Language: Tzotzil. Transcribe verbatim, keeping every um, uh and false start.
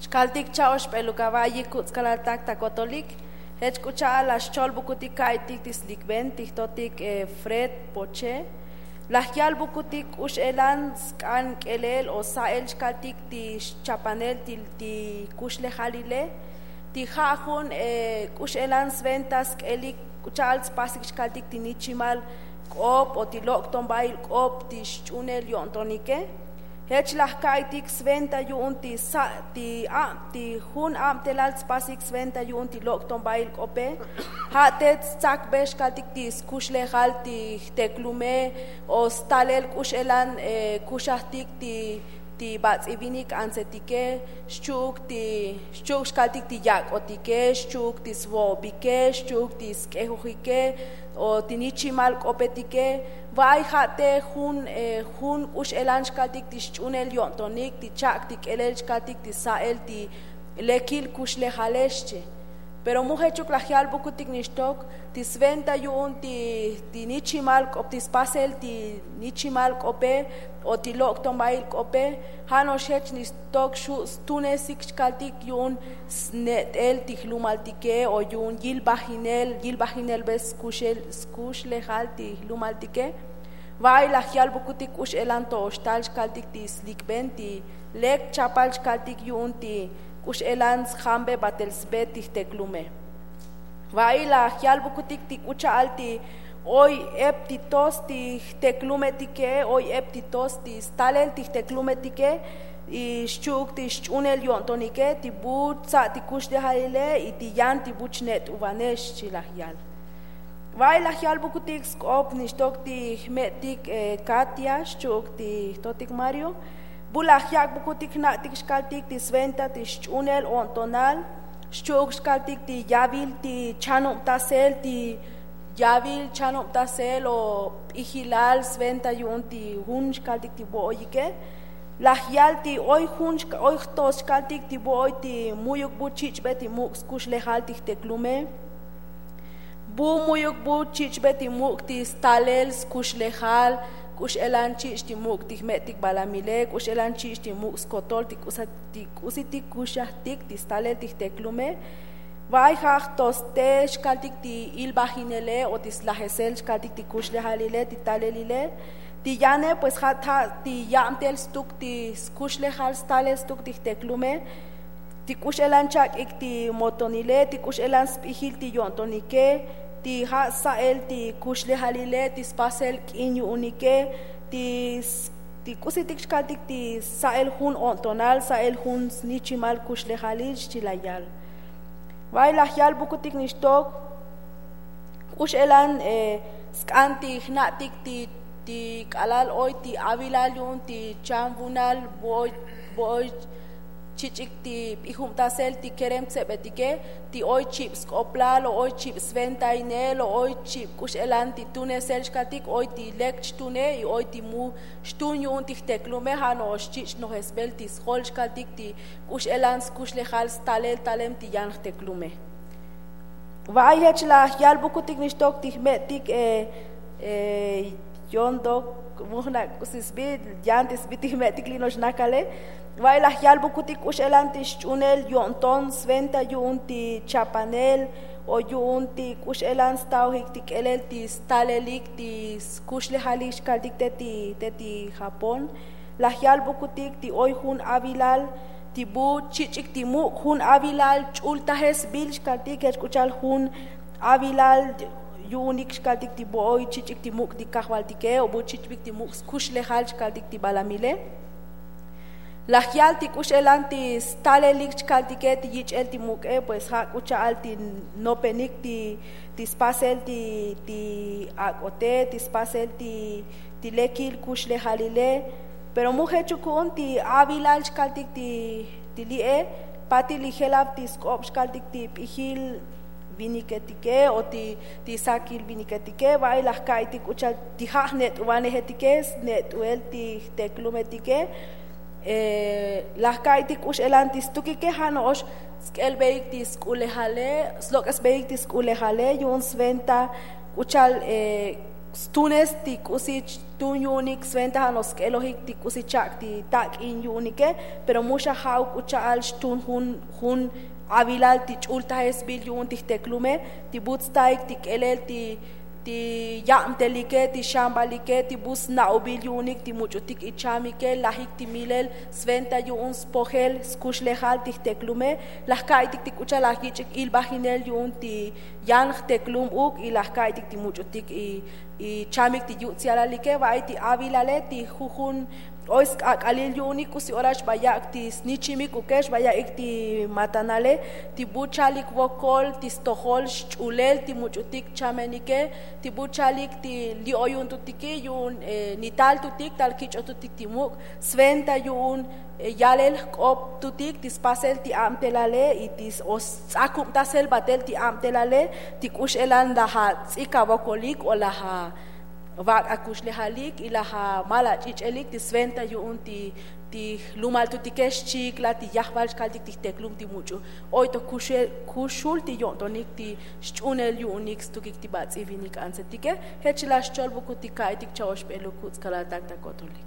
Xkaltik cha'oxp'eluk ava'yik kutz'kalaltak ta kotolik. Jech k'u cha'al la xcholbukutik ka'itik ti slikben ti jtotik fred poche. Laj yalbukutik k'u x'elan sk'an k'elel o sa'el xkaltik ti xchapanel ti kuxlejalile. Ti ja' jun k'u x'elan sventa sk'elik k'u cha'al spasik xkaltik ti nichimal k'op o ti lok' tonbail k'op ti xch'unel yo'ntonike. Jech laj ka'itik sventa yu'un ti sa' ti ab ti jun abtelal tspasik sventa yu'un ti lok' tonbail k'ope. Ja' te tstsakbe xkaltik ti skuxlejal ti jteklume o stalel k'u x'elan kuxajtik ti ti bats'ivinik antsetike. Xchu'uk ti xchu'uk xkaltik ti yak'otike, xchu'uk ti svo'obike, xchu'uk ti sk'ejojike o ti nichimal k'opetike. Va'ay ja' te jun jun k'u x'elan xkaltik ti xch'unel yo'ntonik ti chak' ti k'elel xkaltik ti sa'el ti lekil kuxlejale xchi. Pero mu jechuk laj yalbukutik nixtok ti sventa yu'un ti nichimal k'op ti spasel ti nichimal k'ope o ti lok' tonbail k'ope. Ja' no'ox jech nixtok xu' stunesik xkaltik yu'un snet'el ti jlumaltike o yu'un yilbajinel yilbajinelbe skuxlejal ti jlumaltike. Va'ay laj yalbukutik k'u x'elan to'ox tal xkaltik ti slikben ti lek chapal xkaltik yu'un ti k'u x'elan sjambe batel sbe ti jteklume. Va'ay laj yalbukutik ti k'u cha'al ti oy ep ti tos ti jteklumetike oy ep ti tos ti stalel ti jteklumetike. Y xchu'uk ti xch'unel yo'ntonike ti bu tsa' ti kuxlejalile y ti yan ti bu chnet'uvanex xchi laj yal. Va'ay laj yalbukutik sk'op nixtok ti jme'tik katia xchu'uk ti jtotik mario. Bu laj yak'bukutik jna'tik xkaltik ti sventa ti xch'unel o'ntonal xchu'uk xkaltik ti yavil ti chanubtasel ti yavil chanubtasel o p'ijilal sventa yu'un ti jun xkaltik ti vo'oyike. Laj yal ti oy jun oy jtos xkaltik ti vo'oy ti mu'yuk bu chich'be ti muk' skuxlejal ti jteklume. Bu mu'yuk bu chich'be ti muk' ti stalel skuxlejal k'u x'elan chich' ti muk' ti jme'tik balamile k'u x'elan chich' ti muk' skotol ti k'usitik kuxajtik ti stalel ti jteklume. Va'ay ja' jtoste xkaltik ti ilbajinele o ti slajesel xkaltik ti kuxlejalile ti talelile. Ti yane pues ja' ta ti yabtel stuk ti skuxlejal stalel stuk ti jteklume. Ti k'u x'elan chak'ik ti motonile ti k'u x'elan sp'ijil ti yo'ntonike. Ti ja' sa'el ti kuxlejalile ti spasel k'in yu'unike. Ti k'usitik xkaltik ti sa'el jun o'ntonal sa'el jun snichimal kuxlejalil xchi la yal. Va'ay laj yalbukutik nixtok k'u x'elan sk'an ti jna'tik ti ti k'alal oy ti avilal yu'un ti chanvunal vo'oy vo'oy chich'ik ti p'ijubtasel ti kerem tsebetike ti oy chib sk'oplal o oy chib sventainel o oy chib k'u x'elan ti tunesel xkaltik oy ti lek chtune y oy ti mu xtun yu'un ti jteklume ja' no'ox chich' nojesbel ti sjol xkaltik ti k'u x'elan skuxlejal stalel talem ti yan jteklume. Va'ay jech laj yalbukutik nixtok ti jme'tik yondok mujna' k'usi sbi yan ti sbi ti jme'tik li' no'ox nakale. Va'ay laj yalbukutik k'u x'elan ti xch'unel yo'nton sventa yu'un ti chapanel o yu'un ti k'u x'elan sta'ojik ti k'elel ti stalelik ti skuxlejalik xkaltik te ti te ti japón. Laj yalbukutik ti oy jun avilal ti bu chich'ik ti muk' jun avilal ch'ultajesbil xkaltik jech k'u cha'al jun avilal yu'unik xkaltik ti vo'oy chich'ik ti muk' ti kajvaltike o bu chich'bik ti muk' skuxlejal xkaltik ti balamile. Laj yal ti k'u x'elan ti stalelik chkaltike ti yich'el ti muk'e pues ja' k'u cha'al ti nopenik ti spasel ti ti ak'ote ti spasel ti ti lekil kuxlejalile. Pero mu jechuk ku'un ti avilal chkaltik ti ti li'e patil li jelab ti sk'ob chkaltik ti p'ijil viniketike o ti ti sakil viniketike va'ay laj ka'itik k'u cha'al ti ja' jnet'uvanejetike snet'uel ti jteklumetike. Laj ka'itik k'u x'elan ti stukike ja' no'ox sk'elbeik ti sk'ulejale slok'esbeik ti sk'ulejale yu'un sventa k'u cha'al Stunes ti k'usi xtun yu'unik sventaja no'ox sk'elojik ti k'usi chak' ti tak'in yu'unike. Pero mu xa ja'uk k'u cha'al xtun jun jun avilal ti ch'ultajesbil yu'un ti jteklume, ti bu tstaik ti k'elel ti ti yabtelike ti xambalike ti bu sna'ubil yu'unik ti much'utik ichamike lajik ti milel sventa yu'un spojel skuxlejal ti jteklume. Laj ka'aytik ti k'u cha'al laj yich'ik ilbajinel yu'un ti yan jteklum uk y laj ka'aytik ti much'utik ichamik ti yuts'ialalike. Va'ay ti avilale ti jujun oy sk'ak'alil yu'unik k'usi ora xba yak' ti snichimik uke xba ya'ik ti matanale ti bu chalik vokol ti stojol xch'ulel ti much'utik chamenike ti bu chalik ti li' oyuntutiki yu'un nitaltutik tal kich'otutik ti muk' sventa yu'un yalel jk'optutik ti spasel ti abtelale y ti o sts'akubtasel batel ti abtelale ti k'u x'elan laj ats'ik avokolik o laj avak' akuxlejalik y laj amal ach'ich'elik ti sventa yu'un ti ti jlumaltutike xchikla ti yajval xkaltik ti jteklum ti much'u. Oy to kuxul ti yo'ntonik ti xch'unel yu'unik stukik ti bats'ivinik antsetike. Jech chila' xcholbukut ti ka'aytik cha'oxbelukut skalaltak ta kotolik.